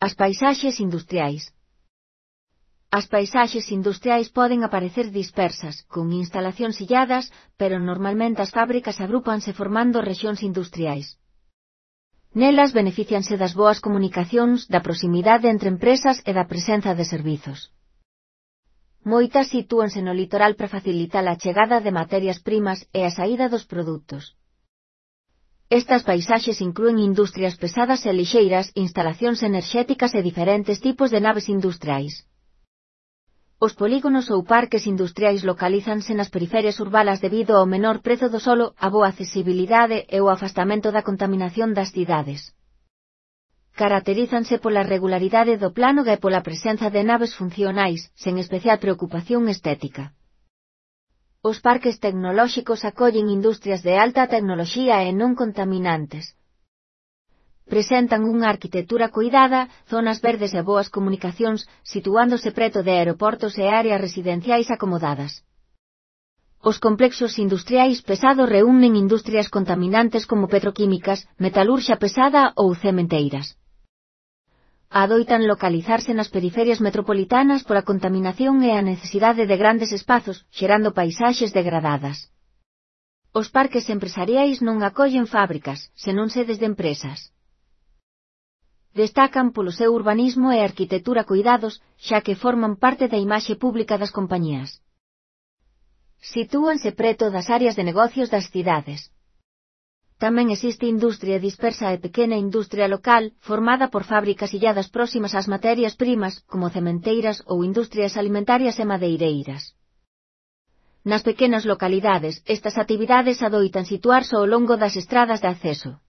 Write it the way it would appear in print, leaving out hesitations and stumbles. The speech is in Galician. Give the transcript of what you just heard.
As paisaxes industriais. As paisaxes industriais poden aparecer dispersas, con instalacións illadas, pero normalmente as fábricas agrúpanse formando rexións industriais. Nelas beneficianse das boas comunicacións, da proximidade entre empresas e da presenza de servizos. Moitas sitúanse no litoral para facilitar a chegada de materias primas e a saída dos produtos. Estas paisaxes inclúen industrias pesadas e lixeiras, instalacións enerxéticas e diferentes tipos de naves industriais. Os polígonos ou parques industriais localízanse nas periferias urbanas debido ao menor prezo do solo, a boa accesibilidade e o afastamento da contaminación das cidades. Caracterízanse pola regularidade do plano e pola presenza de naves funcionais, sen especial preocupación estética. Os parques tecnolóxicos acollen industrias de alta tecnoloxía e non contaminantes. Presentan unha arquitectura cuidada, zonas verdes e boas comunicacións, situándose preto de aeroportos e áreas residenciais acomodadas. Os complexos industriais pesados reúnen industrias contaminantes como petroquímicas, metalurxa pesada ou cementeiras. Adoitan localizarse nas periferias metropolitanas pola contaminación e a necesidade de grandes espazos, xerando paisaxes degradadas. Os parques empresariais non acollen fábricas, senón sedes de empresas. Destacan polo seu urbanismo e arquitectura cuidados, xa que forman parte da imaxe pública das compañías. Sitúanse preto das áreas de negocios das cidades. Tamén existe industria dispersa e pequena industria local, formada por fábricas illadas próximas ás materias primas, como cementeiras ou industrias alimentarias e madeireiras. Nas pequenas localidades, estas actividades adoitan situarse ao longo das estradas de acceso.